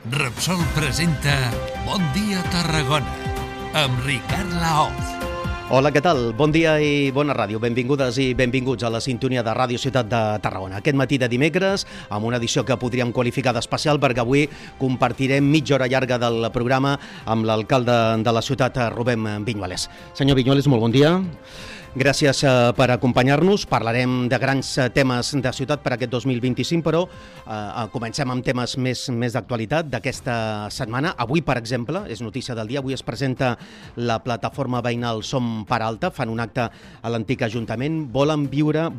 Repsol presenta Bon dia Tarragona amb Ricard Laoz. Hola, què tal? Bon dia i bona ràdio. Benvingudes i benvinguts a la sintonia de Ràdio Ciutat de Tarragona. Aquest matí de dimecres, amb una edició que podríem qualificar d'especial, perquè avui compartirem mitja hora llarga del programa amb l'alcalde de la ciutat, Rubén Viñuales. Senyor Viñuales, molt bon dia. Gràcies per acompanyar-nos. Parlarem de grans temes de ciutat per aquest 2025, però comencem amb temes més d'actualitat d'aquesta setmana. Avui, per exemple, és notícia del dia, avui es presenta la plataforma veïnal Som per Alta, fan un acte a l'antic Ajuntament. Volem viure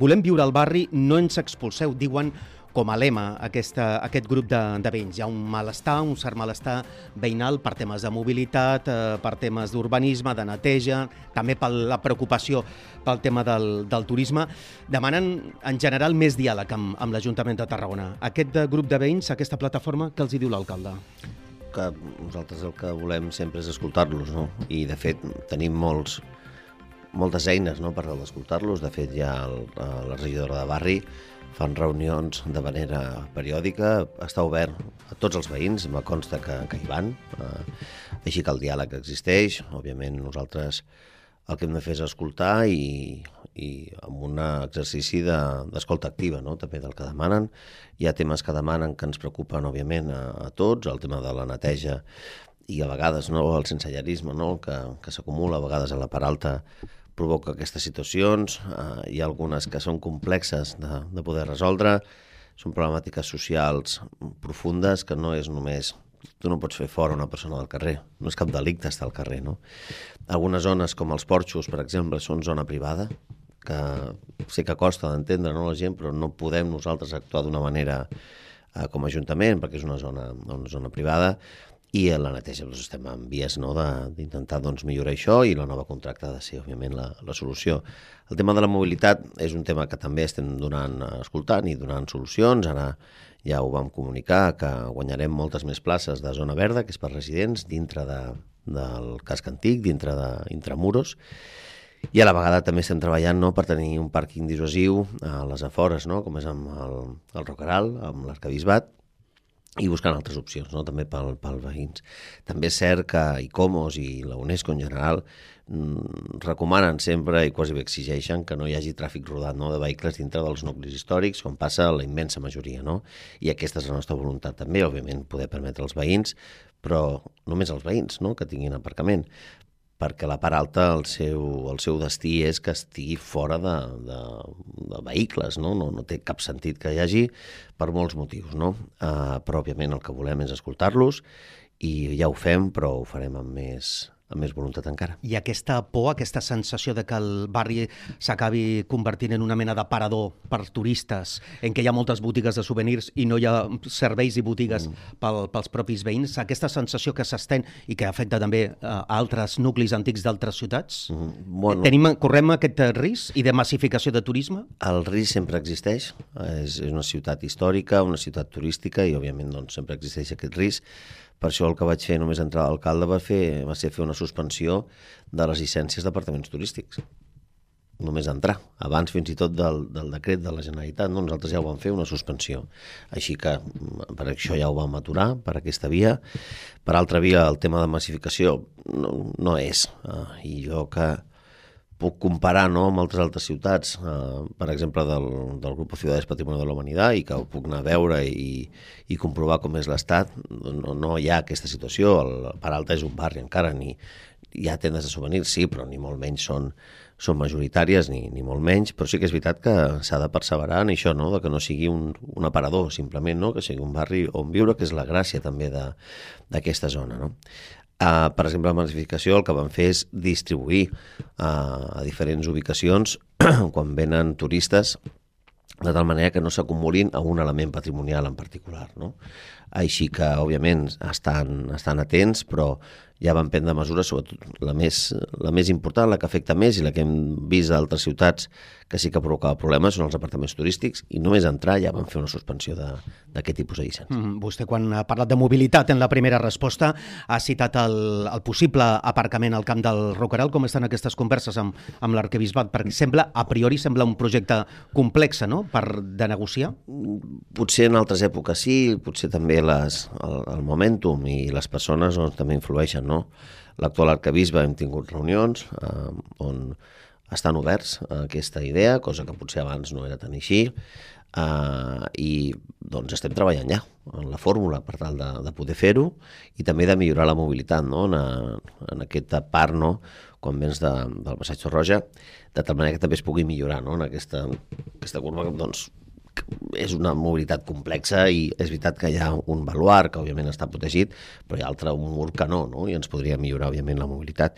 al barri, no ens expulseu, diuen com a lema aquest grup de veïns. Hi ha un cert malestar veïnal per temes de mobilitat, per temes d'urbanisme, de neteja, també per la preocupació pel tema del turisme. Demanen, en general, més diàleg amb l'Ajuntament de Tarragona. Aquest grup de veïns, aquesta plataforma, què els hi diu l'alcalde? Que nosaltres el que volem sempre és escoltar-los, no? I, de fet, tenim moltes eines, no?, per escoltar-los. De fet, ja la regidora de barri fan reunions de manera periòdica, està obert a tots els veïns, me consta que hi van, així que el diàleg existeix. Òbviament nosaltres el que hem de fer és escoltar i amb un exercici d'escolta activa, no?, també del que demanen. Hi ha temes que demanen que ens preocupen, òbviament, a tots, el tema de la neteja i a vegades, no?, el sensellarisme, no?, que s'acumula a vegades a la part alta, provoca aquestes situacions. Hi ha algunes que són complexes de poder resoldre, són problemàtiques socials profundes que no és només... Tu no pots fer fora una persona del carrer, no és cap delicte estar al carrer, no? Algunes zones, com els porxos, per exemple, són zona privada, que sé que costa d'entendre, no, la gent, però no podem nosaltres actuar d'una manera com a Ajuntament, perquè és una zona privada. I a la neteja estem en vies, no?, d'intentar millorar això, i la nova contracta ha de ser, òbviament, la solució. El tema de la mobilitat és un tema que també estem escoltant i donant solucions. Ara ja ho vam comunicar, que guanyarem moltes més places de zona verda, que és per residents, dintre del casc antic, dintre d'Intramuros, i a la vegada també estem treballant, no?, per tenir un pàrquing dissuasiu a les afores, no?, com és amb el Roqueral, amb l'Arquebisbat, i buscant altres opcions, no?, també pels veïns. També és cert que ICOMOS i la UNESCO en general recomanen sempre i quasi bé exigeixen que no hi hagi tràfic rodat, no?, de vehicles dintre dels nuclis històrics, com passa a la immensa majoria, no? I aquesta és la nostra voluntat també, òbviament, poder permetre als veïns, però només als veïns, no?, que tinguin aparcament, perquè la part alta, el seu destí és que estigui fora de vehicles, no? No té cap sentit que hi hagi per molts motius, no? Però, òbviament, el que volem és escoltar-los i ja ho fem, però ho farem amb més voluntat encara. I aquesta por, aquesta sensació de que el barri s'acabi convertint en una mena d'aparador per turistes, en què hi ha moltes botigues de souvenirs i no hi ha serveis i botigues pels propis veïns, aquesta sensació que s'estén i que afecta també a altres nuclis antics d'altres ciutats, correm aquest risc i de massificació de turisme? El risc sempre existeix, és una ciutat històrica, una ciutat turística, i òbviament sempre existeix aquest risc. Per això el que vaig fer només entrar d'alcalde va ser fer una suspensió de les llicències d'apartaments turístics. Només entrar. Abans fins i tot del decret de la Generalitat, no? Nosaltres ja ho vam fer, una suspensió. Així que per això ja ho vam aturar, per aquesta via. Per altra via, el tema de massificació no és. I jo que puc comparar, no?, amb altres ciutats, per exemple, del Grupo Ciudades Patrimonio de la Humanidad, i que ho puc anar a veure i comprovar com és l'estat. No hi ha aquesta situació. El Part Alta és un barri encara, hi ha tendes de souvenirs, sí, però ni molt menys són majoritàries, ni molt menys, però sí que és veritat que s'ha de perseverar en això, no?, de que no sigui un aparador, simplement, no?, que sigui un barri on viure, que és la gràcia també d'aquesta zona, no? Per exemple, la massificació el que vam fer és distribuir a diferents ubicacions quan venen turistes, de tal manera que no s'acumulin a un element patrimonial en particular, no? Així que, òbviament, estan atents, però ja van prendre mesures, sobretot la més important, la que afecta més i la que hem vist d'altres ciutats que sí que provocava problemes són els apartaments turístics, i només entrar ja van fer una suspensió d'aquest tipus de llicència. Vostè, quan ha parlat de mobilitat en la primera resposta, ha citat el possible aparcament al camp del Rocaral. Com estan aquestes converses amb l'arquebisbat? Perquè a priori sembla un projecte complex, no?, de negociar. Potser en altres èpoques sí, potser també el momentum i les persones també influeixen, no? L'actual arquebisbe hem tingut reunions on estan oberts a aquesta idea, cosa que potser abans no era tan així, i doncs estem treballant ja en la fórmula per tal de poder fer-ho i també de millorar la mobilitat, no?, en aquesta part, no?, quan vens del Passeig Torroja, de tal manera que també es pugui millorar, no?, en aquesta curva, doncs és una mobilitat complexa, i és veritat que hi ha un baluard que òbviament està protegit, però hi ha un mur que no, i ens podria millorar òbviament la mobilitat.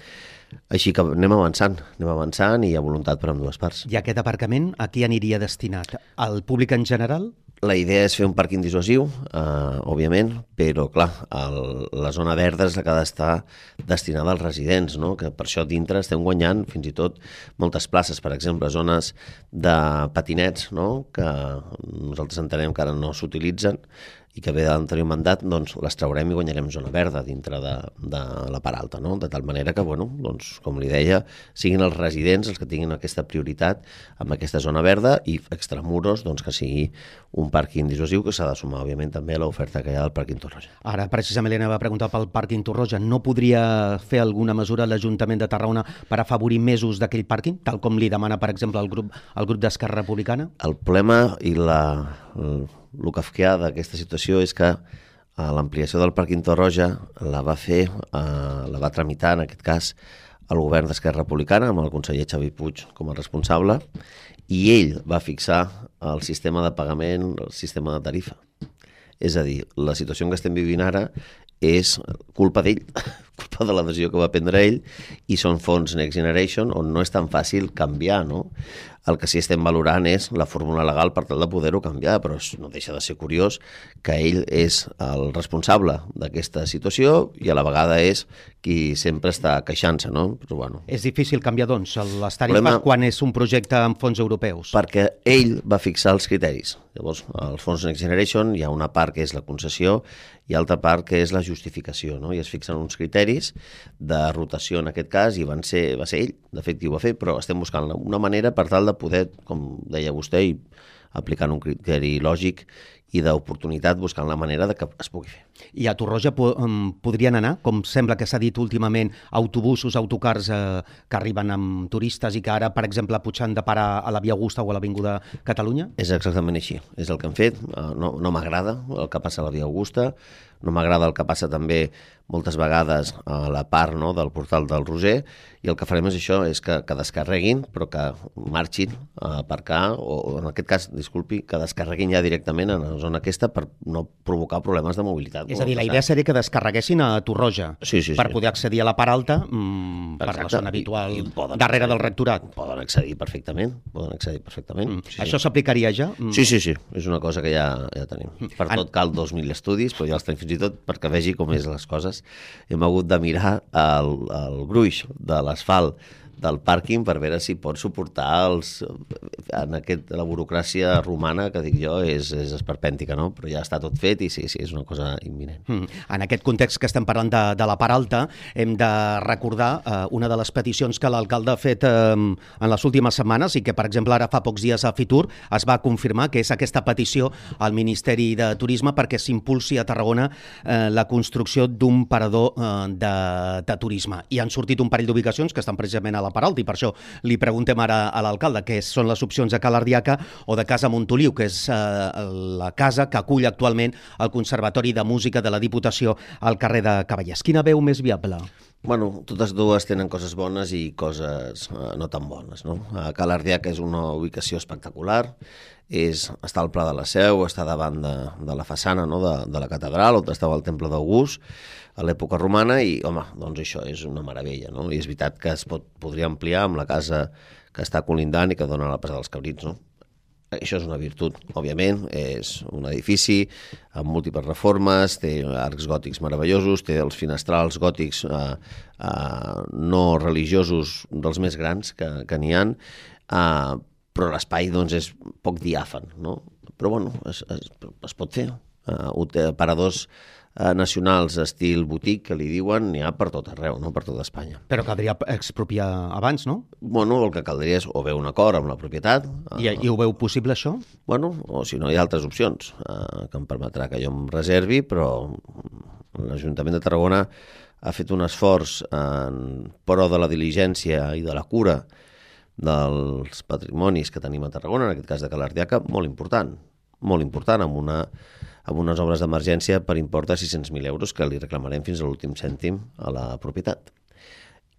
Així que anem avançant i hi ha voluntat per ambdues parts. I aquest aparcament a qui aniria destinat? Al públic en general? La idea és fer un pàrquing dissuasiu, òbviament, però clar, la zona verda és la que ha d'estar destinada als residents, no?, que per això dintre estem guanyant fins i tot moltes places, per exemple, zones de patinets, no?, que nosaltres entenem que ara no s'utilitzen i que ve de l'anterior mandat, doncs les traurem i guanyarem zona verda dintre de la part alta, no?, de tal manera que, bueno, doncs, com li deia, siguin els residents els que tinguin aquesta prioritat amb aquesta zona verda, i extramuros, doncs, que sigui un pàrquing dissuasiu que s'ha de sumar, òbviament, també a l'oferta que hi ha del pàrquing Torroja. Ara, precisament, li anava a preguntar pel pàrquing Torroja. No podria fer alguna mesura l'Ajuntament de Tarragona per afavorir més ús d'aquell pàrquing, tal com li demana, per exemple, el grup d'Esquerra Republicana? El problema i el kafkià d'aquesta situació és que l'ampliació del pàrquing Torroja la va tramitar, en aquest cas, el govern d'Esquerra Republicana, amb el conseller Xavi Puig com a responsable, i ell va fixar el sistema de pagament, el sistema de tarifa. És a dir, la situació en què estem vivint ara és culpa d'ell, culpa de la decisió que va prendre ell, i són fons Next Generation on no és tan fàcil canviar, no? El que sí estem valorant és la fórmula legal per tal de poder-ho canviar, però no deixa de ser curiós que ell és el responsable d'aquesta situació i a la vegada és qui sempre està queixant-se, no? Però, bueno. És difícil canviar, doncs, les tarifes quan és un projecte amb fons europeus? Perquè ell va fixar els criteris. Llavors, als fons Next Generation hi ha una part que és la concessió i altra part que és la justificació, no? I es fixen uns criteris de rotació en aquest cas, i va ser ell, de fet, qui ho va fer, però estem buscant una manera per tal de poder, com deia vostè, i aplicant un criteri lògic i d'oportunitat, buscant la manera de que es pugui fer. I a Torroja podrien anar, com sembla que s'ha dit últimament, autobusos, autocars que arriben amb turistes i que ara, per exemple, potser han de parar a la Via Augusta o a l'Avinguda Catalunya? És exactament així, és el que hem fet. No m'agrada el que passa a la Via Augusta, no m'agrada el que passa també moltes vegades a la part, no?, del portal del Roser, i el que farem és això, és que descarreguin, però que marxin a aparcar, o en aquest cas, disculpi, que descarreguin ja directament en la zona aquesta per no provocar problemes de mobilitat. És a dir, la idea seria que descarreguessin a Torroja per poder accedir a la part alta per la zona habitual darrere del rectorat. Poden accedir perfectament. Això s'aplicaria ja? Sí, és una cosa que ja tenim. Per tot cal 2.000 estudis, però ja els tenim fins i tot perquè vegi com és les coses. Hem hagut de mirar el gruix de l'asfalt del pàrquing per veure si pot suportar la burocràcia romana, que dic jo, és esperpèntica, no? Però ja està tot fet i sí, és una cosa imminent. En aquest context que estem parlant de la part alta, hem de recordar una de les peticions que l'alcalde ha fet en les últimes setmanes i que, per exemple, ara fa pocs dies a Fitur es va confirmar, que és aquesta petició al Ministeri de Turisme perquè s'impulsi a Tarragona la construcció d'un parador de turisme. I han sortit un parell d'ubicacions que estan precisament a la part alta, i per això li preguntem ara a l'alcalde què són les opcions de Cala Ardiaca o de Casa Montoliu, que és la casa que acull actualment el Conservatori de Música de la Diputació al carrer de Cavallers. Quina veu més viable? Bueno, totes dues tenen coses bones i coses no tan bones, no? Cala Ardiaca és una ubicació espectacular, està al Pla de la Seu, està davant de la façana, no?, de la catedral, on estava el Temple d'August, a l'època romana, i, home, doncs això és una meravella, no? I és veritat que es podria ampliar amb la casa que està colindant i que dona a la Plaça dels Cabrits, no? Això és una virtut, òbviament, és un edifici amb múltiples reformes, té arcs gòtics meravellosos, té els finestrals gòtics no religiosos dels més grans que n'hi ha, però l'espai doncs, és poc diàfan, no? Però bueno, es pot fer. Paradors nacionals estil boutique, que li diuen, n'hi ha per tot arreu, no? Per tot Espanya. Però caldria expropiar abans, no? Bueno, el que caldria és o bé un acord amb la propietat... I ho veu possible, això? Bueno, o si no, hi ha altres opcions que em permetrà que jo em reservi, però l'Ajuntament de Tarragona ha fet un esforç en pro de la diligència i de la cura dels patrimonis que tenim a Tarragona, en aquest cas de Calardiaca, molt important, amb unes obres d'emergència per import de 600.000 euros que li reclamarem fins a l'últim cèntim a la propietat.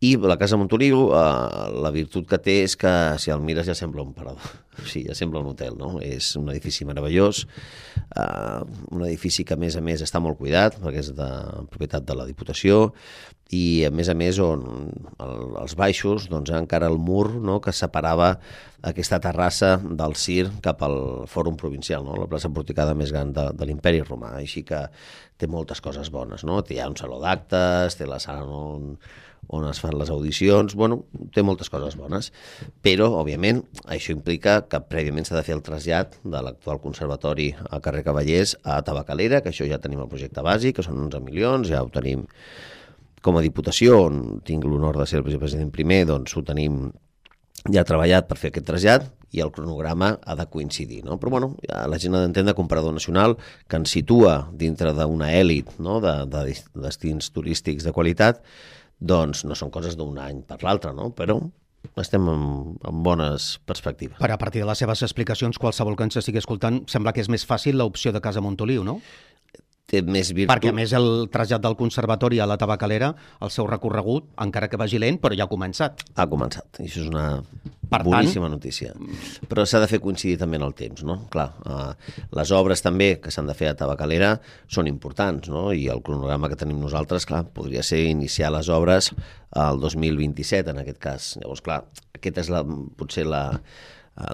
I la Casa Montoliu, la virtut que té és que si el mires ja sembla un parador, o sigui, ja sembla un hotel, no? És un edifici meravellós, un edifici que a més està molt cuidat, perquè és de propietat de la Diputació, i a més on als baixos doncs, encara el mur, no?, que separava aquesta terrassa del CIR cap al Fòrum Provincial, no?, la plaça porticada més gran de l'Imperi Romà, així que té moltes coses bones, no? Hi ha un saló d'actes, té la sala on es fan les audicions, bueno, té moltes coses bones, però, òbviament, això implica que prèviament s'ha de fer el trasllat de l'actual conservatori a carrer Cavallers a Tabacalera, que això ja tenim el projecte bàsic, que són 11 milions, ja ho tenim com a Diputació, on tinc l'honor de ser el vicepresident primer, doncs ho tenim ja treballat per fer aquest trasllat i el cronograma ha de coincidir, no? Però bueno, ja la gent ha d'entendre que un parador nacional que ens situa dintre d'una èlit, no?, de destins turístics de qualitat, doncs no són coses d'un any per l'altre, no? Però estem en bones perspectives. Per a partir de les seves explicacions, qualsevol que ens estigui escoltant, sembla que és més fàcil l'opció de Casa Montoliu, no? Té més virtut. Perquè, a més, el trasllat del conservatori a la Tabacalera, el seu recorregut, encara que vagi lent, però ja ha començat. Ha començat, i això és una boníssima notícia. Però s'ha de fer coincidir també en el temps, no? Clar, les obres també que s'han de fer a Tabacalera són importants, no? I el cronograma que tenim nosaltres, clar, podria ser iniciar les obres al 2027, en aquest cas. Llavors, clar, aquesta és potser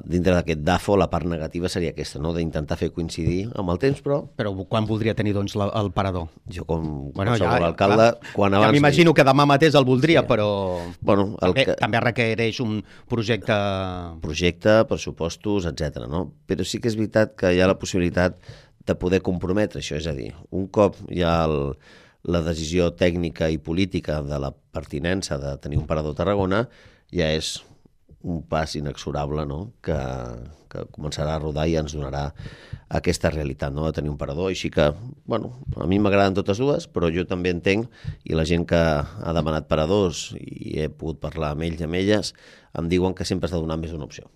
dintre d'aquest DAFO, la part negativa seria aquesta, no?, d'intentar fer coincidir amb el temps, però... Però quan voldria tenir, doncs, el parador? Jo, com qualsevol alcalde, quan abans... Ja m'imagino que demà mateix el voldria, sí. Però... Bueno, també requereix un projecte... Projecte, pressupostos, etc. No? Però sí que és veritat que hi ha la possibilitat de poder comprometre això, és a dir, un cop hi ha la decisió tècnica i política de la pertinença de tenir un parador a Tarragona, ja és un pas inexorable, no?, que començarà a rodar i ens donarà aquesta realitat, no?, de tenir un parador. Així que, bueno, a mi m'agraden totes dues, però jo també entenc, i la gent que ha demanat paradors, i he pogut parlar amb ells i amb elles, em diuen que sempre has de donar més d'una opció.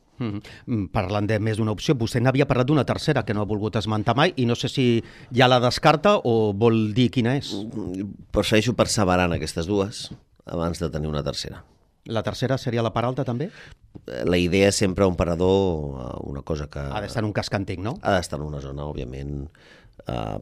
Parlant de més d'una opció, vostè n'havia parlat d'una tercera que no ha volgut esmentar mai, i no sé si ja la descarta o vol dir quina és. Prefereixo perseverar en aquestes dues abans de tenir una tercera. La tercera seria la Peralta, també? La idea és sempre un parador, una cosa que... Ha d'estar en un casc antic, no? Ha d'estar en una zona, òbviament,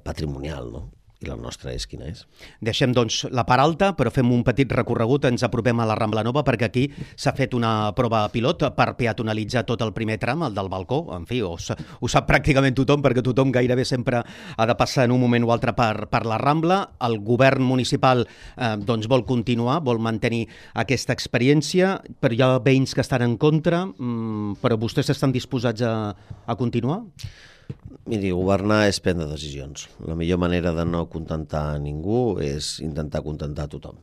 patrimonial, no? I la nostra és quina és. Deixem, doncs, la Peralta, però fem un petit recorregut, ens apropem a la Rambla Nova, perquè aquí s'ha fet una prova pilot per peatonalitzar tot el primer tram, el del balcó. En fi, ho sap pràcticament tothom, perquè tothom gairebé sempre ha de passar en un moment o altre per la Rambla. El govern municipal doncs vol continuar, vol mantenir aquesta experiència, però hi ha veïns que estan en contra, però vostès estan disposats a continuar? Miri, governar és prendre decisions. La millor manera de no contentar ningú és intentar contentar tothom.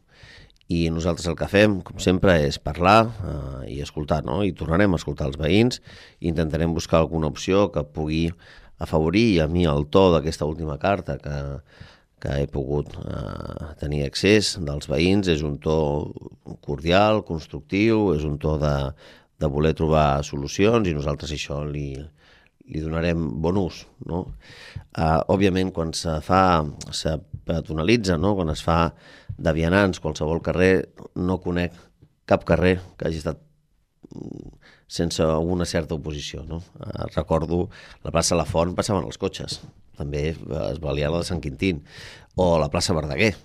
I nosaltres el que fem, com sempre, és parlar i escoltar, no? I tornarem a escoltar els veïns i intentarem buscar alguna opció que pugui afavorir. I a mi el to d'aquesta última carta que he pogut tenir accés dels veïns és un to cordial, constructiu, és un to de voler trobar solucions, i nosaltres això li donarem bon ús, no? Òbviament, quan se peatonalitza, no?, quan es fa de vianants qualsevol carrer, no conec cap carrer que hagi estat sense una certa oposició, no? Recordo la plaça La Font, passaven els cotxes, també es valia la de Sant Quintín, o la plaça Verdaguer,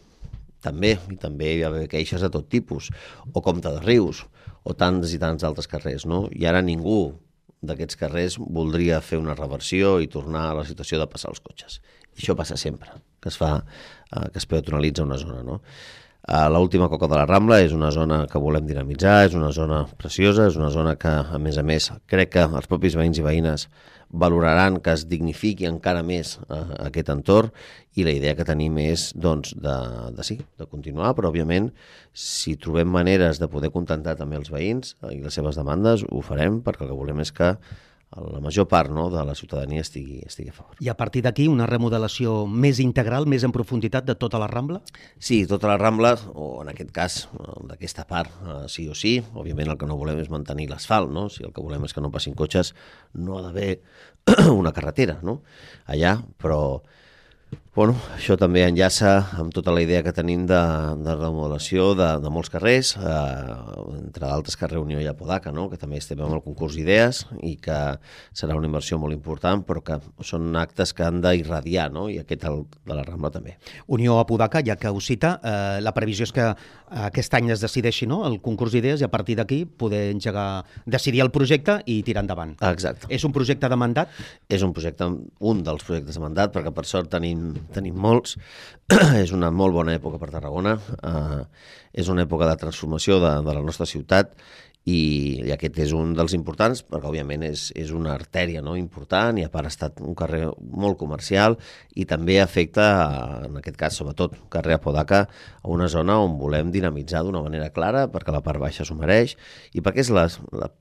també, i també hi va haver queixes de tot tipus, o Comte de Rius, o tants i tants altres carrers, no? I ara ningú d'aquests carrers voldria fer una reversió i tornar a la situació de passar els cotxes. I això passa sempre, que es peatonalitza una zona, no? L'última Coca de la Rambla és una zona que volem dinamitzar, és una zona preciosa, és una zona que, a més, crec que els propis veïns i veïnes valoraran que es dignifiqui encara més aquest entorn, i la idea que tenim és doncs, de continuar, però òbviament si trobem maneres de poder contentar també els veïns i les seves demandes ho farem, perquè el que volem és que la major part, no, de la ciutadania estigui a favor. I a partir d'aquí una remodelació més integral, més en profunditat de tota la Rambla? Sí, tota la Rambla, o en aquest cas d'aquesta part, sí o sí. Òbviament el que no volem és mantenir l'asfalt, no? Si el que volem és que no passin cotxes, no ha d'haver una carretera, no? Allà, però bueno, això també enllaça amb tota la idea que tenim de remodelació de molts carrers, entre d'altres carrer Unió i Apodaca, no? Que també estem amb el concurs d'idees i que serà una inversió molt important, però que són actes que han d'irradiar, no? I aquest de la Rambla també. Unió Apodaca, ja que ho cita, la previsió és que aquest any es decideixi, no?, el concurs d'idees, i a partir d'aquí poder decidir el projecte i tirar endavant. Exacte. És un projecte de mandat? És un dels projectes de mandat, perquè per sort tenim molts. És una molt bona època per Tarragona, és una època de transformació de la nostra ciutat, i aquest és un dels importants, perquè òbviament és una artèria, no?, important, i a part ha estat un carrer molt comercial, i també afecta, en aquest cas sobretot carrer Apodaca, a una zona on volem dinamitzar d'una manera clara, perquè la part baixa s'ho mereix, i perquè és la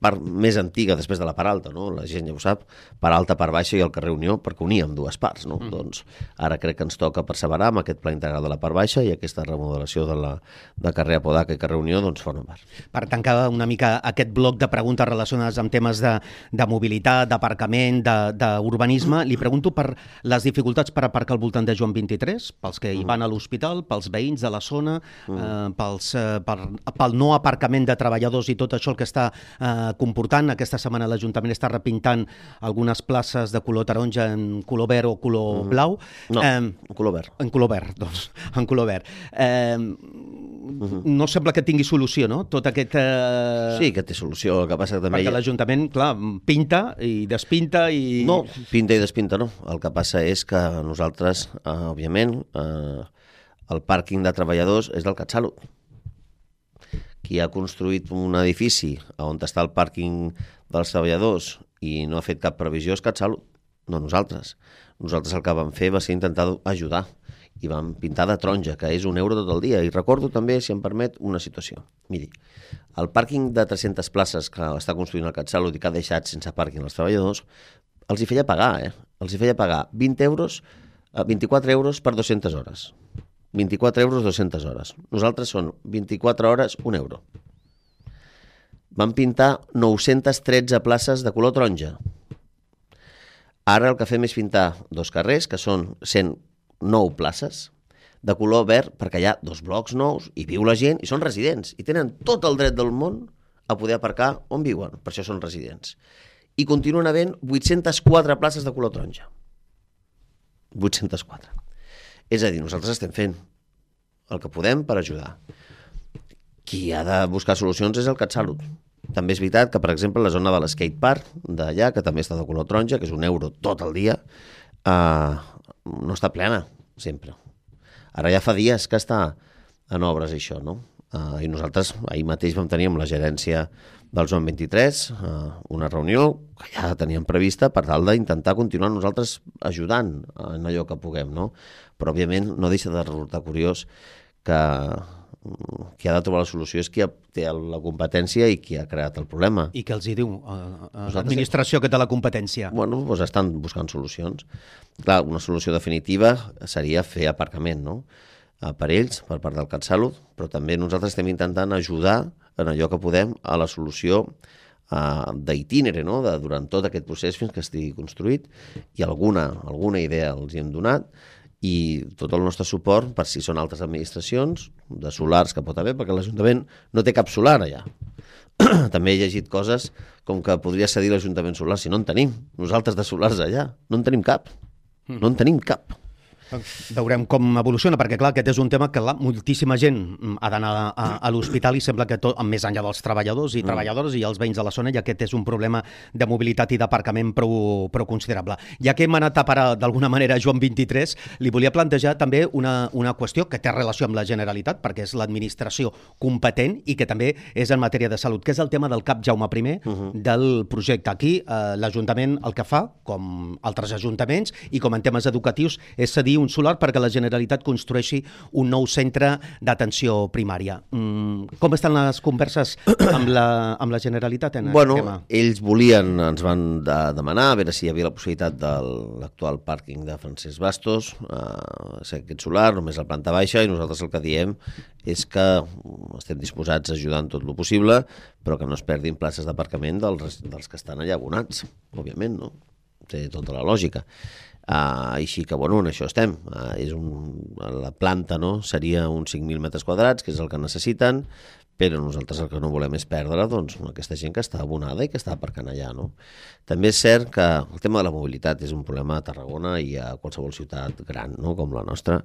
part més antiga després de la part alta, no? La gent ja ho sap, part alta, part baixa i el carrer Unió, perquè uníem dues parts, no? Doncs ara crec que ens toca perseverar amb aquest pla integral de la part baixa, i aquesta remodelació de carrer Apodaca i carrer Unió doncs forma part. Per tancar una mica aquest bloc de preguntes relacionades amb temes de mobilitat, d'aparcament, d'urbanisme, li pregunto per les dificultats per aparcar al voltant de Joan 23, pels que hi van a l'hospital, pels veïns de la zona, pel no aparcament de treballadors i tot això el que està comportant. Aquesta setmana l'Ajuntament està repintant algunes places de color taronja en color verd o color blau. No, en color verd. En color verd, doncs, en color verd. No sembla que tingui solució, no?, tot aquest... Sí que té solució, el que passa que també... Perquè l'Ajuntament, clar, pinta i despinta i... No, pinta i despinta no. El que passa és que nosaltres, òbviament, el pàrquing de treballadors és del CatSalut. Qui ha construït un edifici on està el pàrquing dels treballadors i no ha fet cap previsió és CatSalut, no nosaltres. Nosaltres el que vam fer va ser intentar ajudar, i vam pintar de taronja, que és €1 tot el dia. I recordo també, si em permet, una situació. Miri, el pàrquing de 300 places que està construint el CatSalut i que ha deixat sense pàrquing els treballadors, els hi feia pagar, Els hi feia pagar 24 euros per 200 hores. 24 euros 200 hores. Nosaltres són 24 hores, €1. Vam pintar 913 places de color taronja. Ara el que fem és pintar dos carrers, que són 109 places, de color verd, perquè hi ha dos blocs nous, i viu la gent, i són residents, i tenen tot el dret del món a poder aparcar on viuen, per això són residents. I continuen havent 804 places de color taronja. 804. És a dir, nosaltres estem fent el que podem per ajudar. Qui ha de buscar solucions és el CatSalut. També és veritat que, per exemple, la zona de l'skatepark d'allà, que també està de color taronja, que és €1 tot el dia, no està plena, sempre. Ara ja fa dies que està en obres això, no? I nosaltres ahir mateix vam tenir amb la gerència del Joan 23 una reunió que ja teníem prevista per tal d'intentar continuar nosaltres ajudant en allò que puguem, no? Però, òbviament, no deixa de resultar curiós que qui ha de trobar la solució és qui té la competència i qui ha creat el problema. I què els hi diu l'administració que té la competència? Bueno, doncs estan buscant solucions. Clar, una solució definitiva seria fer aparcament, no?, per ells, per part del CatSalut, però també nosaltres estem intentant ajudar en allò que podem a la solució d'itínere, no?, durant tot aquest procés fins que estigui construït, i alguna idea els hi hem donat, i tot el nostre suport per si són altres administracions, de solars que pot haver, perquè l'Ajuntament no té cap solar allà. També he llegit coses com que podria cedir l'Ajuntament solar, si no en tenim, nosaltres de solars allà, no en tenim cap, no en tenim cap. Veurem com evoluciona, perquè clar, aquest és un tema que moltíssima gent ha d'anar a l'hospital i sembla que tot, més enllà dels treballadors i treballadores i els veïns de la zona, i aquest és un problema de mobilitat i d'aparcament prou considerable. Ja que hem anat a parar d'alguna manera a Joan 23, li volia plantejar també una qüestió que té relació amb la Generalitat, perquè és l'administració competent i que també és en matèria de salut, que és el tema del CAP Jaume I del projecte. Aquí l'Ajuntament el que fa, com altres ajuntaments i com en temes educatius, és cedir un solar perquè la Generalitat construeixi un nou centre d'atenció primària. Com estan les converses amb la Generalitat en aquest tema? Ells volien, ens van demanar a veure si hi havia la possibilitat de l'actual pàrquing de Francesc Bastos, aquest solar, només a la planta baixa, i nosaltres el que diem és que estem disposats a ajudar en tot el possible, però que no es perdin places d'aparcament dels que estan allà abonats, òbviament, no? Té tota la lògica. Així que, en això estem. La planta seria uns 5.000 metres quadrats, que és el que necessiten, però nosaltres el que no volem és perdre aquesta gent que està abonada i que està aparcant allà. No? També és cert que el tema de la mobilitat és un problema a Tarragona i a qualsevol ciutat gran, no? Com la nostra.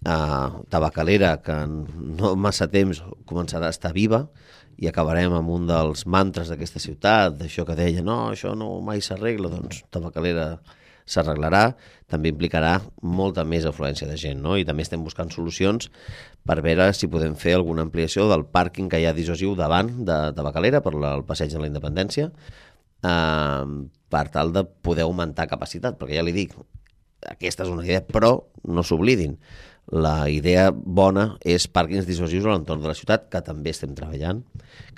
Tabacalera, que no massa temps començarà a estar viva, i acabarem amb un dels mantres d'aquesta ciutat, d'això que deia, no, això no mai s'arregla, doncs Tabacalera s'arreglarà, també implicarà molta més afluència de gent, no? I també estem buscant solucions per veure si podem fer alguna ampliació del pàrquing que hi ha dissuasiu davant de Tabacalera per al passeig de la Independència, per tal de poder augmentar capacitat, perquè ja li dic, aquesta és una idea, però no s'oblidin, la idea bona és pàrquings dissuasius a l'entorn de la ciutat, que també estem treballant,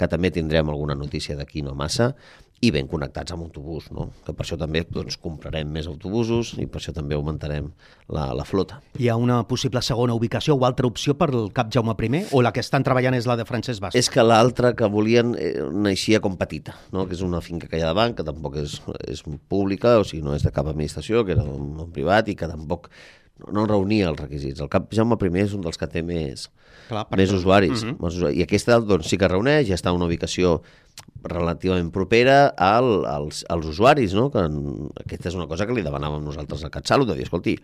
que també tindrem alguna notícia d'aquí no massa, i ben connectats amb autobús, no? Que per això també comprarem més autobusos i per això també augmentarem la flota. Hi ha una possible segona ubicació o altra opció per al CAP Jaume I, o la que estan treballant és la de Francesc Bastos? És que l'altra que volien naixia com petita, no? Que és una finca que hi ha davant, que tampoc és pública, o sigui, no és de cap administració, que era d'un privat i que tampoc no reunia els requisits. El CAP Jaume I és un dels que té més usuaris. I aquesta sí que reuneix, ja està en una ubicació relativament propera als usuaris, no? Que aquesta és una cosa que li demanàvem nosaltres al CatSalut, de dir, escolti,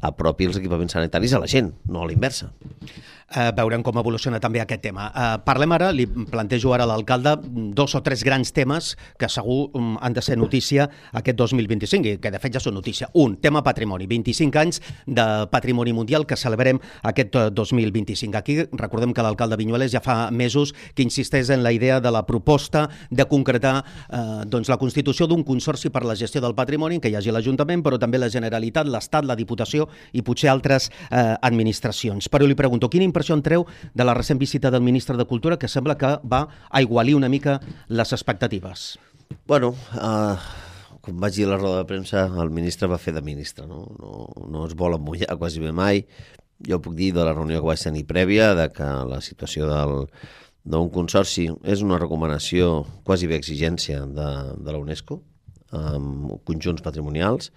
apropi els equipaments sanitaris a la gent, no a l'inversa. Veurem com evoluciona també aquest tema. Parlem ara, li plantejo ara a l'alcalde 2 o 3 grans temes que segur han de ser notícia aquest 2025 i que de fet ja són notícia. Un, tema patrimoni, 25 anys de patrimoni mundial que celebrem aquest 2025. Aquí recordem que l'alcalde Viñuales ja fa mesos que insisteix en la idea de la proposta de concretar la constitució d'un consorci per la gestió del patrimoni, en què hi hagi l'Ajuntament, però també la Generalitat, l'Estat, la Diputació i potser altres administracions. Però li pregunto, quina impressió en treu de la recent visita del ministre de Cultura, que sembla que va aigualir una mica les expectatives? Bueno, com vaig dir a la roda de premsa, el ministre va fer de ministre, no es vol emmullar quasi bé mai. Jo puc dir de la reunió que vaig tenir prèvia de que la situació d'un consorci és una recomanació, quasi bé exigència de la UNESCO, amb conjunts patrimonials.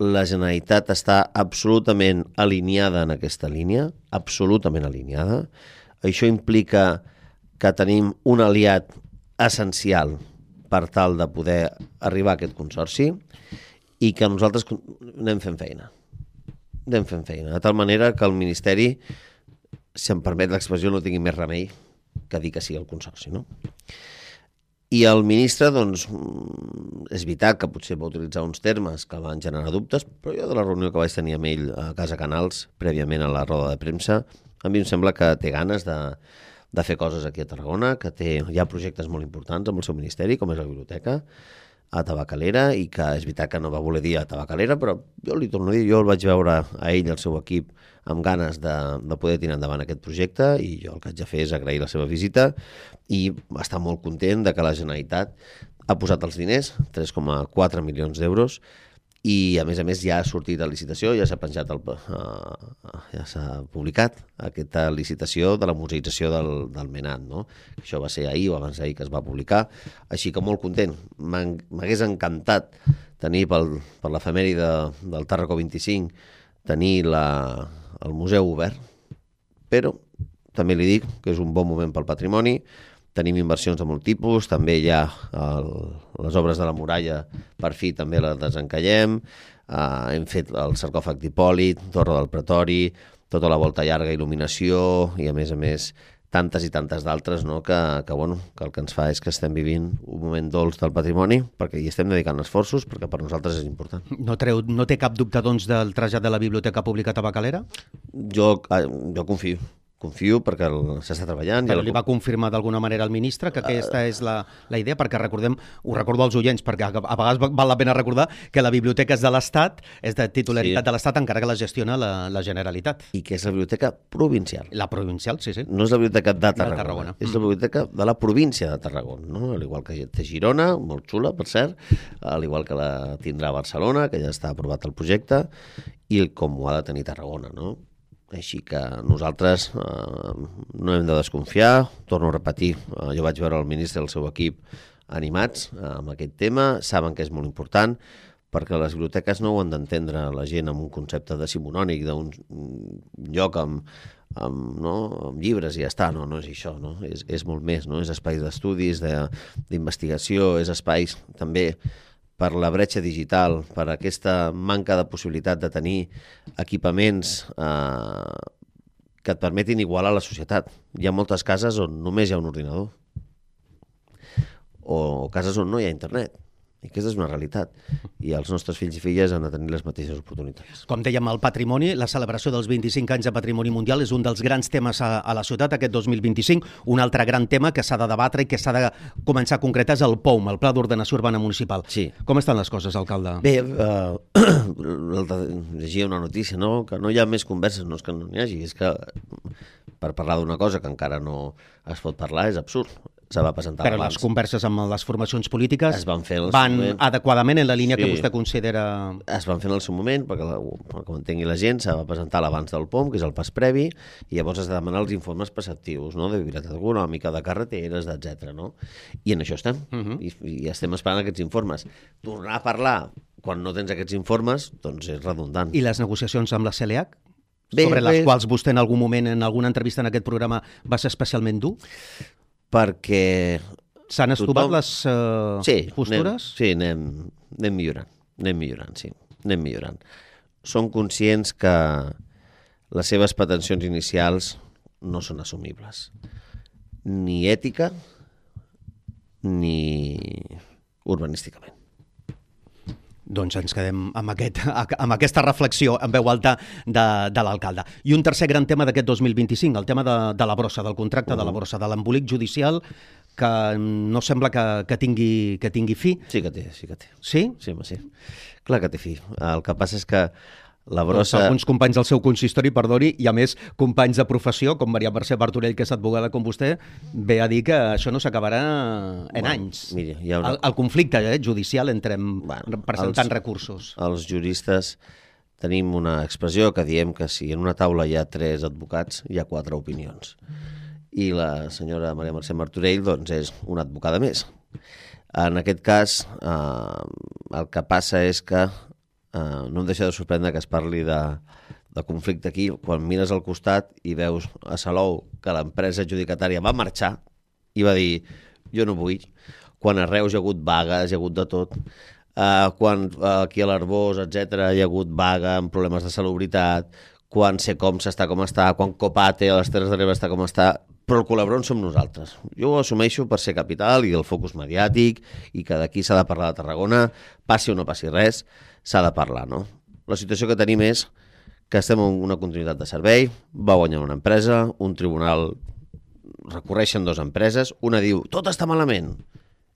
La Generalitat està absolutament alineada en aquesta línia, absolutament alineada. Això implica que tenim un aliat essencial per tal de poder arribar a aquest consorci i que nosaltres anem fent feina. De tal manera que el Ministeri, si em permet l'expressió, no tingui més remei que dir que sí al consorci, no? I el ministre, doncs, és veritat que potser va utilitzar uns termes que van generar dubtes, però jo de la reunió que vaig tenir amb ell a Casa Canals, prèviament a la roda de premsa, a mi em sembla que té ganes de fer coses aquí a Tarragona, que hi ha projectes molt importants amb el seu ministeri, com és la biblioteca, a Tabacalera, i que és veritat que no va voler dir a Tabacalera, però jo li torno a dir, jo el vaig veure a ell i al seu equip amb ganes de poder tirar endavant aquest projecte, i jo el que haig de fer és agrair la seva visita i estar molt content de que la Generalitat ha posat els diners, 3,4 milions d'euros, i a més ja ha sortit a licitació, ja s'ha penjat, ja s'ha publicat aquesta licitació de la museïtzació del Menat, no? Això va ser ahir o abans d'ahir que es va publicar, així que molt content. M'hagués encantat tenir per l'efemèride del Tarraco 25 tenir el museu obert, però també li dic que és un bon moment pel patrimoni, Tenim inversions de molt tipus, també hi ha les obres de la muralla, per fi també les desencallem, hem fet el sarcòfag d'Hipòlit, Torre del Pretori, tota la volta llarga, il·luminació i a més tantes i tantes d'altres, no? que el que ens fa és que estem vivint un moment dolç del patrimoni perquè hi estem dedicant esforços perquè per nosaltres és important. No té cap dubte, doncs, del trasllat de la Biblioteca Pública Tabacalera? Jo confio perquè s'està treballant. Però li va confirmar d'alguna manera al ministre que aquesta és la idea, perquè ho recordo als oients, perquè a vegades val la pena recordar que la biblioteca és de l'Estat, és de titularitat de l'Estat, encara que la gestiona la Generalitat. I que és la biblioteca provincial. La provincial, sí. No és la biblioteca de Tarragona. És la biblioteca de la província de Tarragona, no? Al igual que té Girona, molt xula, per cert, al igual que la tindrà Barcelona, que ja està aprovat el projecte, i com ho ha de tenir Tarragona, no? Així que nosaltres no hem de desconfiar, torno a repetir, jo vaig veure el ministre i el seu equip animats amb aquest tema, saben que és molt important, perquè les biblioteques no ho han d'entendre la gent amb un concepte decimonònic, d'un lloc amb llibres i ja està, no és això, no? És molt més, no? És espais d'estudis, d'investigació, és espais també per la bretxa digital, per aquesta manca de possibilitat de tenir equipaments que et permetin igualar la societat. Hi ha moltes cases on només hi ha un ordinador o cases on no hi ha internet. I aquesta és una realitat. I els nostres fills i filles han de tenir les mateixes oportunitats. Com dèiem, el patrimoni, la celebració dels 25 anys de Patrimoni Mundial és un dels grans temes a la ciutat aquest 2025. Un altre gran tema que s'ha de debatre i que s'ha de començar a concretar és el POUM, el Pla d'Ordenació Urbana Municipal. Sí. Com estan les coses, alcalde? Bé, llegia una notícia, no? Que no hi ha més converses, no és que no n'hi hagi, és que per parlar d'una cosa que encara no es pot parlar és absurd. Se va presentar però abans. Les converses amb les formacions polítiques es van fer van adequadament en la línia que vostè considera... Es van fer en el seu moment, perquè ho entengui la gent, se va presentar l'abans del POM, que és el pas previ, i llavors has de demanar els informes preceptius, no? De viabilitat econòmica, de carreteres, etc. No? I en això estem, i estem esperant aquests informes. Tornar a parlar quan no tens aquests informes, doncs és redundant. I les negociacions amb la CLH? Sobre les quals vostè en algun moment, en alguna entrevista en aquest programa, va ser especialment dur? Perquè... S'han estovat les postures? Anem millorant, sí. Anem millorant. Som conscients que les seves pretensions inicials no són assumibles. Ni ètica, ni urbanísticament. Doncs ens quedem amb aquesta reflexió en veu alta de l'alcalde. I un tercer gran tema d'aquest 2025, el tema de la brossa, del contracte de la brossa, de l'embolic judicial, que no sembla que tingui fi. Sí que té. Sí? Sí, home, sí. Clar que té fi. El que passa és que la brossa... Doncs alguns companys del seu consistori, perdoni, i a més companys de professió, com Maria Mercè Martorell, que és advogada com vostè, ve a dir que això no s'acabarà en anys. Mira, el conflicte judicial entre presentant recursos. Els juristes tenim una expressió que diem que si en una taula hi ha 3 advocats, hi ha 4 opinions. I la senyora Maria Mercè Martorell doncs, és una advocada més. En aquest cas, el que passa és que no em deixa de sorprendre que es parli de conflicte aquí, quan mires al costat i veus a Salou que l'empresa adjudicatària va marxar i va dir, jo no vull, quan a Reus hi ha hagut vagues, hi ha hagut de tot, quan aquí a l'Arbós, etc., hi ha hagut vaga amb problemes de salubritat, quan Secom està com està, quan Copate a les Terres de l'Ebre està com està, però el col·laborador som nosaltres. Jo ho assumeixo per ser capital i el focus mediàtic i que d'aquí s'ha de parlar de Tarragona, passi o no passi res, s'ha de parlar, no? La situació que tenim és que estem en una continuïtat de servei, va guanyar una empresa, un tribunal recorreixen 2 empreses, una diu, tot està malament,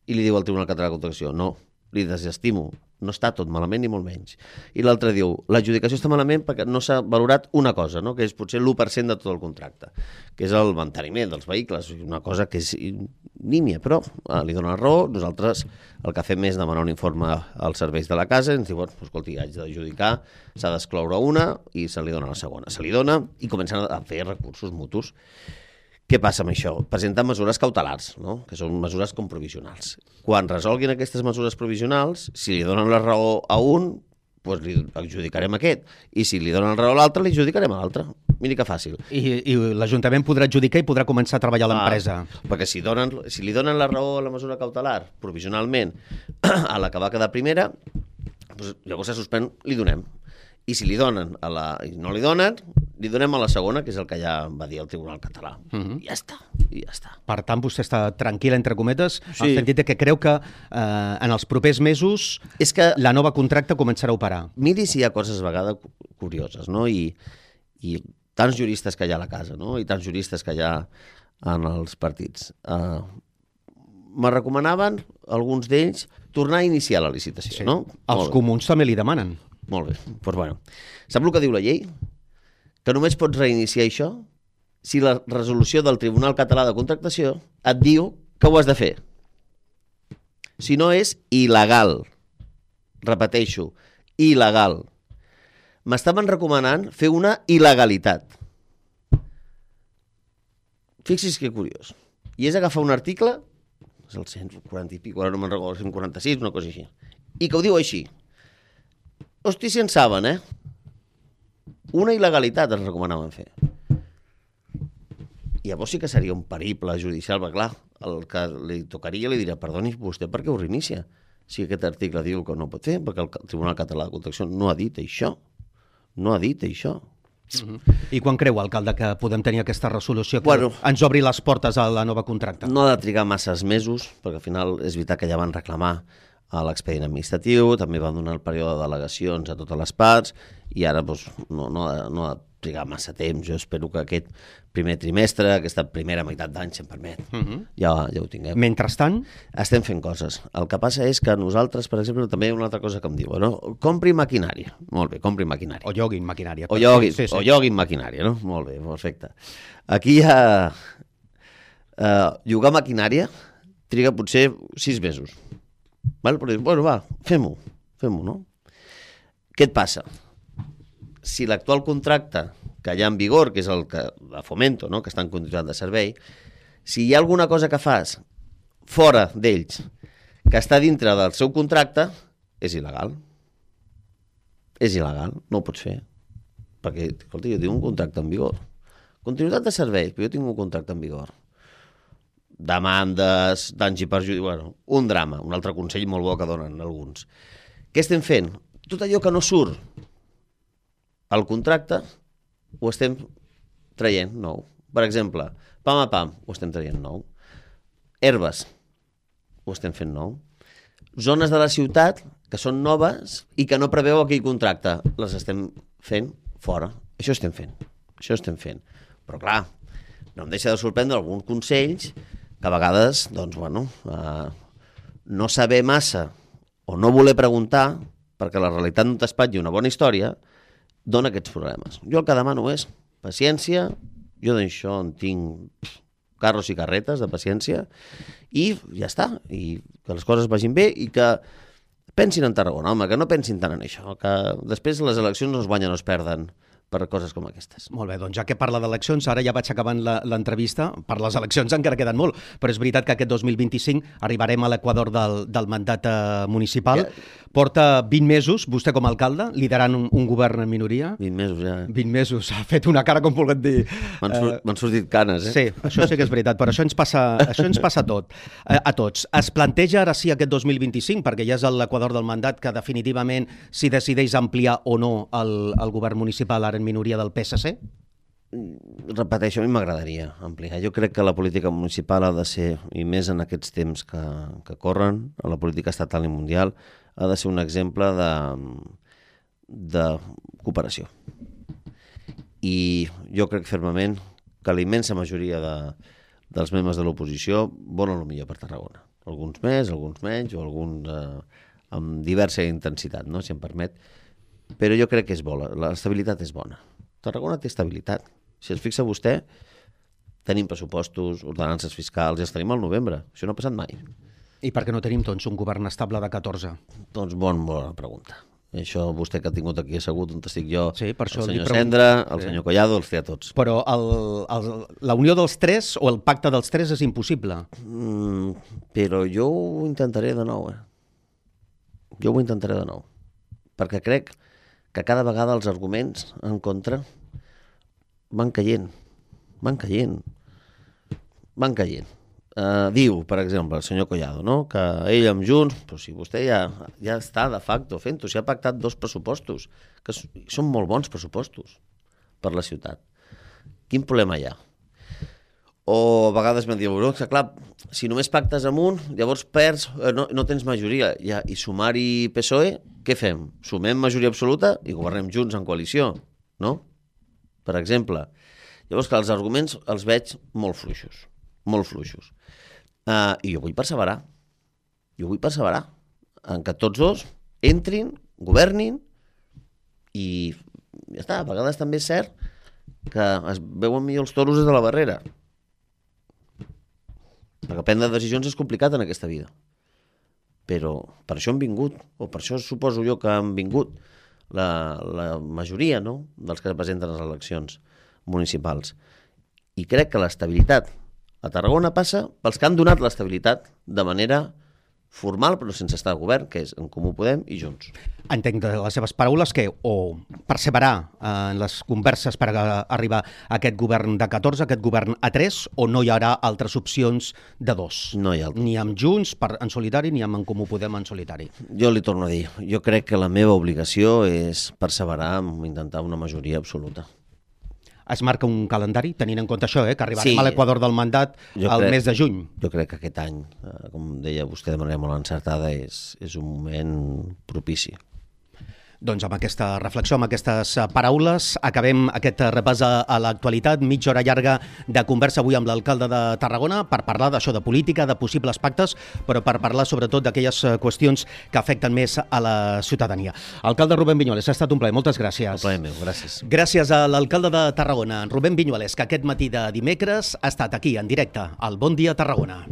i li diu al Tribunal Català de Contractació, no, li desestimo, no està tot malament ni molt menys. I l'altre diu, l'adjudicació està malament perquè no s'ha valorat una cosa, no? Que és potser l'1% de tot el contracte, que és el manteniment dels vehicles, una cosa que és nímia, però li dona la raó. Nosaltres el que fem és demanar un informe als serveis de la casa i ens diuen, escolti, haig d'adjudicar, s'ha d'excloure una i se li dona la segona. Se li dona i comencen a fer recursos mutus. Què passa amb això? Presentar mesures cautelars, no? Que són mesures com provisionals. Quan resolguin aquestes mesures provisionals, si li donen la raó a un, doncs li adjudicarem aquest. I si li donen la raó a l'altre, li adjudicarem a l'altre. Miri que fàcil. I l'Ajuntament podrà adjudicar i podrà començar a treballar a l'empresa. Perquè si li donen la raó a la mesura cautelar, provisionalment, a la que va quedar primera, doncs llavors se suspèn, li donem. I si li donen i no li donen, li donem a la segona, que és el que ja va dir el Tribunal Català. I ja està. Per tant, vostè està tranquil, entre cometes, en el sentit que creu que en els propers mesos la nova contracte començarà a operar. Miri si hi ha coses a vegades curioses, no? I tants juristes que hi ha a la casa, no? I tants juristes que hi ha en els partits. Me recomanaven, alguns d'ells, tornar a iniciar la licitació, no? Els comuns també li demanen. Molt bé. Doncs bueno. Sap el que diu la llei? Que només pots reiniciar això si la resolució del Tribunal Català de Contractació et diu que ho has de fer. Si no és il·legal. Repeteixo, il·legal. M'estaven recomanant fer una il·legalitat. Fixi's que curiós. I és agafar un article, és el 140 i pico, ara no me'n recordo, 146, una cosa així, i que ho diu així. Hosti, si en saben, Una il·legalitat ens recomanaven fer. I llavors sí que seria un periple judicial, perquè clar, el que li tocaria li dirà, perdoni, vostè per què ho reinicia? Si aquest article diu que no pot fer, perquè el Tribunal Català de Contractació no ha dit això. No ha dit això. I quan creu, alcalde, que podem tenir aquesta resolució que ens obri les portes a la nova contracte? No ha de trigar masses mesos, perquè al final és veritat que ja van reclamar a l'expedient administratiu, també van donar el període de delegacions a totes les parts i ara no ha de trigar massa temps. Jo espero que aquest primer trimestre, aquesta primera meitat d'any, si em permet, ja ho tinguem. Mentrestant? Estem fent coses. El que passa és que nosaltres, per exemple, també hi ha una altra cosa que em diuen, no? Compri maquinària. Molt bé, compri maquinària. O lloguin maquinària. O lloguin maquinària, no? Molt bé, perfecte. Aquí hi ha... llogar maquinària triga potser 6 mesos. Val? Però, bueno, va, fem-ho, no? Què et passa? Si l'actual contracte que hi ha en vigor, que és el que de Fomento, no? Que està en continuïtat de servei, si hi ha alguna cosa que fas fora d'ells, que està dintre del seu contracte, és il·legal. És il·legal, no ho pots fer. Perquè, escolta, jo tinc un contracte en vigor. Continuïtat de servei, però jo tinc un contracte en vigor. Demandes, danys i perjudicis, bueno, un drama, un altre consell molt bo que donen alguns. Què estem fent? Tot allò que no surt al contracte ho estem traient nou. Per exemple, pam a pam, ho estem traient nou. Herbes, ho estem fent nou. Zones de la ciutat que són noves i que no preveu aquell contracte, les estem fent fora. Això estem fent. Però clar, no em deixa de sorprendre alguns consells que a vegades, doncs, bueno, no saber massa o no voler preguntar, perquè la realitat no t'espatlli una bona història, dona aquests problemes. Jo el que demano és paciència, jo d'això en tinc carros i carretes de paciència, i ja està, i que les coses vagin bé i que pensin en Tarragona, home, que no pensin tant en això, que després les eleccions no es guanyen o es perden per coses com aquestes. Molt bé, doncs ja que parla d'eleccions, ara ja vaig acabant l'entrevista, per les eleccions encara queden molt, però és veritat que aquest 2025 arribarem a l'equador del mandat municipal. Porta 20 mesos, vostè com a alcalde, liderant un govern en minoria. 20 mesos, ja. 20 mesos, ha fet una cara com volguem dir. M'han sortit canes, Sí, això sí que és veritat, però això ens passa a tots. Es planteja ara sí aquest 2025, perquè ja és l'equador del mandat que definitivament si decideix ampliar o no el govern municipal ara en minoria del PSC? Repeteixo, a mi m'agradaria ampliar. Jo crec que la política municipal ha de ser, i més en aquests temps que corren, a la política estatal i mundial, ha de ser un exemple de cooperació. I jo crec fermament que la immensa majoria dels membres de l'oposició volen el millor per Tarragona. Alguns més, alguns menys, o alguns amb diversa intensitat, no? Si em permet. Però jo crec que és bona, l'estabilitat és bona. Tarragona té estabilitat. Si es fixa vostè, tenim pressupostos, ordenances fiscals, ja els tenim al novembre. Això no ha passat mai. I per què no tenim, doncs, un govern estable de 14? Doncs bona pregunta. Això vostè que ha tingut aquí assegut on estic jo, sí, per això el senyor Cendra, el senyor Collado, els té a tots. Però la unió dels tres o el pacte dels tres és impossible. Però jo ho intentaré de nou. Jo ho intentaré de nou. Perquè crec que cada vegada els arguments en contra van caient. Diu, per exemple, el senyor Collado, no? Que ell amb Junts, però si vostè ja està de facto fent-ho, si ha pactat 2 pressupostos, que són molt bons pressupostos per la ciutat. Quin problema hi ha? O a vegades m'han dit, que clar, si només pactes amb un, llavors perds, no tens majoria. I sumar-hi PSOE, què fem? Sumem majoria absoluta i governem junts en coalició, no? Per exemple. Llavors, que els arguments els veig molt fluixos. I jo vull perseverar. En que tots 2 entrin, governin i ja està. A vegades també és cert que es veuen millor els toros des de la barrera. Perquè prendre decisions és complicat en aquesta vida. Però per això han vingut, o per això suposo jo que han vingut la majoria, no?, dels que presenten les eleccions municipals. I crec que l'estabilitat a Tarragona passa pels que han donat l'estabilitat de manera formal, però sense estar al govern, que és En Comú Podem i Junts. Entenc de les seves paraules que o perseverar en les converses per arribar a aquest govern de 14, aquest govern a 3, o no hi haurà altres opcions de 2. No hi ha altres. Ni amb Junts en solitari ni amb En Comú Podem en solitari. Jo li torno a dir, jo crec que la meva obligació és perseverar en intentar una majoria absoluta. Es marca un calendari, tenint en compte això, que arribarem a l'equador del mandat mes de juny. Jo crec que aquest any, com deia vostè de manera molt encertada, és un moment propici. Doncs amb aquesta reflexió, amb aquestes paraules, acabem aquest repàs a l'actualitat, mitja hora llarga de conversa avui amb l'alcalde de Tarragona per parlar d'això, de política, de possibles pactes, però per parlar sobretot d'aquelles qüestions que afecten més a la ciutadania. Alcalde Rubén Viñuales, ha estat un plaer, moltes gràcies. Un plaer meu, gràcies. Gràcies a l'alcalde de Tarragona, Rubén Viñuales, que aquest matí de dimecres ha estat aquí, en directe, al Bon Dia Tarragona.